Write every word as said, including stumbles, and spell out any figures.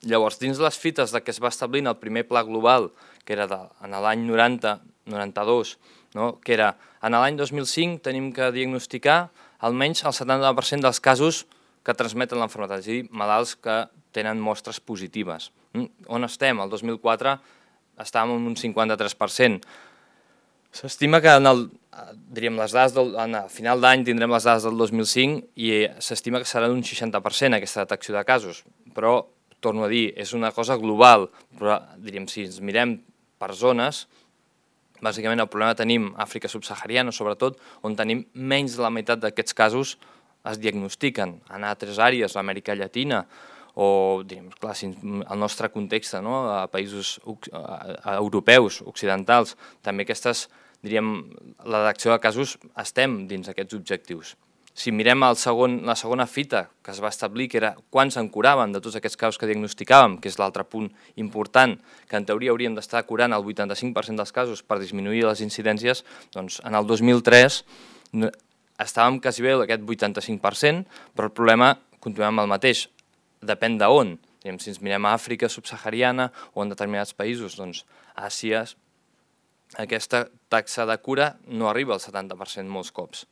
Llavors, dins les fites que es va establir en el primer pla global, que era en l'any noranta noranta-dos, que era en l'any dos mil cinc tenim que diagnosticar almenys el setanta per cent dels casos que transmeten l'enfermedad, és a dir, malalts que tenen mostres positives. On estem? El dos mil quatre estàvem en un cinquanta-tres per cent. S'estima que en el, diríem, les dades del, a final d'any tindrem les dades del dos mil cinc i s'estima que serà d'un seixanta per cent aquesta detecció de casos, però, torno a dir, és una cosa global, però, diríem, si ens mirem per zones, bàsicament el problema tenim a Àfrica subsahariana, sobretot, on tenim menys de la meitat d'aquests casos es diagnostiquen. En altres àrees, l'Amèrica Llatina, o, diríem, clar, el nostre context, a països europeus, occidentals, també aquestes, diríem, la detecció de casos estem dins aquests objectius. Si mirem la segona fita que es va establir, que era quan se'n curaven de tots aquests casos que diagnosticàvem, que és l'altre punt important, que en teoria hauríem d'estar curant el vuitanta-cinc per cent dels casos per disminuir les incidències, doncs en el dos mil tres estàvem quasi bé aquest vuitanta-cinc per cent, però el problema continuem amb el mateix. Depèn d'on. Si ens mirem a Àfrica subsahariana o en determinats països, doncs a Àsia, aquesta taxa de cura no arriba al setanta per cent molts cops.